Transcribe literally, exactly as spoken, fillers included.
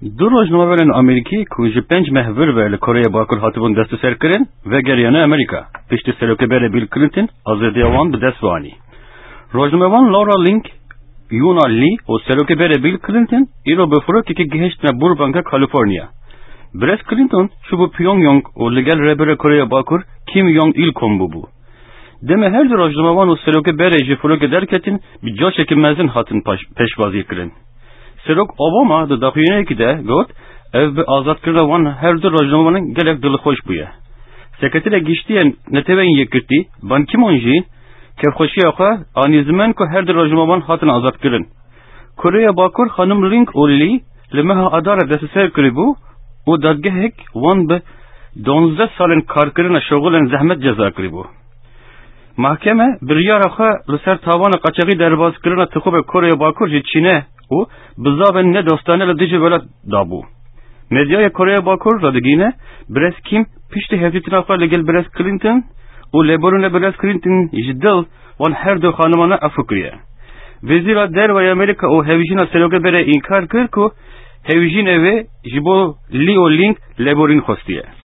Du rojnamevanên Amerîkî ku ji pênc meh vir ve li Koreya Bakur hatibûn desteserkirin, vegeriyane Amerîka, piştî serokê berê Bill Clinton azadiya wan bi dest ve anî. Rojnamevan Laura Link, Yuna Lee û serokê berê Bill Clinton îro bi firokekê gihiştine Burbanka California. Birêz Clinton çûbû Pyongyang û li gel rêberê Koreya Bakur Kim Jong Il kom bûbû. Demê her du rojnamevan û serokê berê ji firokê derketin, bi coşekî mezin hatin paş-, pêşwazî kirin. Serok Obama di daxuyaniyekî de got, ev bi azadkirina wan her du rojnamevanan gelek dilxweş bûye. Sekreterê Giştî yê Neteweyên Yekgirtî, Ban Ki-moon jî kêfxweşiya xwe anî ziman ku her du rojnamevan hatin azadkirin. Koreya Bakur xanim Ling û Lee li meha Adara desteser kiribû û dadgehek wan bi duwazdeh salên karkirina şoxulên zehmet ceza kiribû. Mahkeme biryara xwe li ser tawana qaçaxî derbazkirina tixûbê Koreya Bakur ji Çînê û bizavên nedostane li dijî welat dabû. Medyaya Koreya Bakur radigihîne, Birêz Kim piştî hevdîtina xwe li gel Birêz Clinton û lêborîna Birêz Clinton ji dil wan her du xanimana efû kiriye. Wezîra Derve ya Amerîka û hevjîna serokê berê înkar kir ku hevjînê wê ji bo Lee û Ling lêborîn xwestiye.